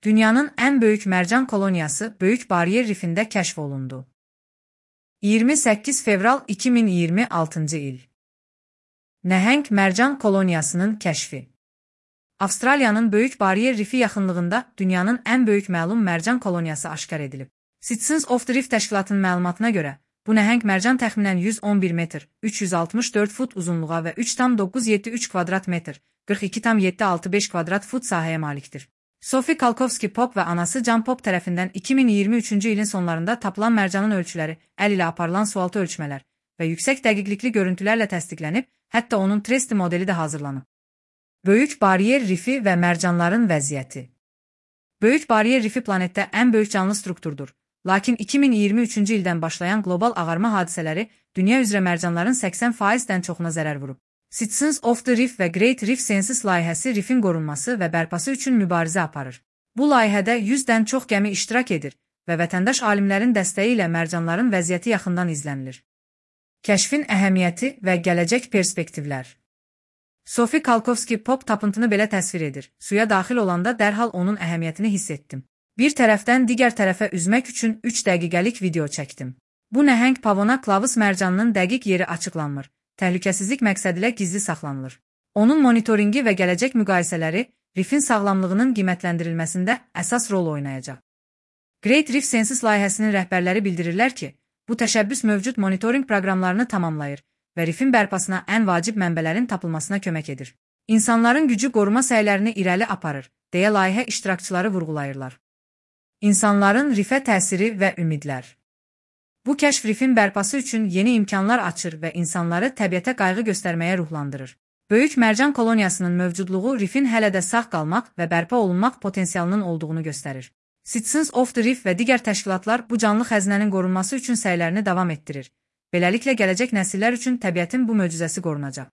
Dünyanın ən böyük mərcan koloniyası Böyük Bariyer Rifində kəşf olundu. 28 fevral 2026-cı il. Nəhəng mərcan koloniyasının kəşfi. Avstraliyanın Böyük Bariyer Rifi yaxınlığında dünyanın ən böyük məlum mərcan koloniyası aşkar edilib. Citizens of the Reef təşkilatının məlumatına görə, bu nəhəng mərcan təxminən 111 metr, 364 fut uzunluğa və 3,973 kvadrat metr, 42,765 kvadrat fut sahəyə malikdir. Sophie Kalkovski-Pop və anası Can Pop tərəfindən 2023-cü ilin sonlarında tapılan mərcanın ölçüləri, əl ilə aparılan sualtı ölçmələr və yüksək dəqiqlikli görüntülərlə təsdiqlənib, hətta onun 3D modeli də hazırlanıb. Böyük Bariyer Rifi və mərcanların vəziyyəti. Böyük Bariyer Rifi planetdə ən böyük canlı strukturdur, lakin 2023-cü ildən başlayan qlobal ağarma hadisələri dünya üzrə mərcanların 80%-dən çoxuna zərər vurub. Citizens of the Reef və Great Reef Census layihəsi rifin qorunması və bərpası üçün mübarizə aparır. Bu layihədə 100-dən çox gəmi iştirak edir və vətəndaş alimlərin dəstəyi ilə mərcanların vəziyyəti yaxından izlənilir. Kəşfin əhəmiyyəti və gələcək perspektivlər. Sophie Kalkovski-Pop tapıntını belə təsvir edir. Suya daxil olanda dərhal onun əhəmiyyətini hiss etdim. Bir tərəfdən digər tərəfə üzmək üçün 3 dəqiqəlik video çəkdim. Bu nəhəng pavona klavus mərcanının dəqiq yeri açıqlanmır. Təhlükəsizlik məqsədilə gizli saxlanılır. Onun monitoringi və gələcək müqayisələri rifin sağlamlığının qiymətləndirilməsində əsas rol oynayacaq. Great Reef Census layihəsinin rəhbərləri bildirirlər ki, bu təşəbbüs mövcud monitorinq proqramlarını tamamlayır və rifin bərpasına ən vacib mənbələrin tapılmasına kömək edir. İnsanların gücü qoruma səylərini irəli aparır, deyə layihə iştirakçıları vurğulayırlar. İnsanların rifə təsiri və ümidlər. Bu kəşf rifin bərpası üçün yeni imkanlar açır və insanları təbiətə qayğı göstərməyə ruhlandırır. Böyük mərcan koloniyasının mövcudluğu rifin hələ də sağ qalmaq və bərpa olunmaq potensialının olduğunu göstərir. Citizens of the Reef və digər təşkilatlar bu canlı xəzinənin qorunması üçün səylərini davam etdirir. Beləliklə gələcək nəsillər üçün təbiətin bu möcüzəsi qorunacaq.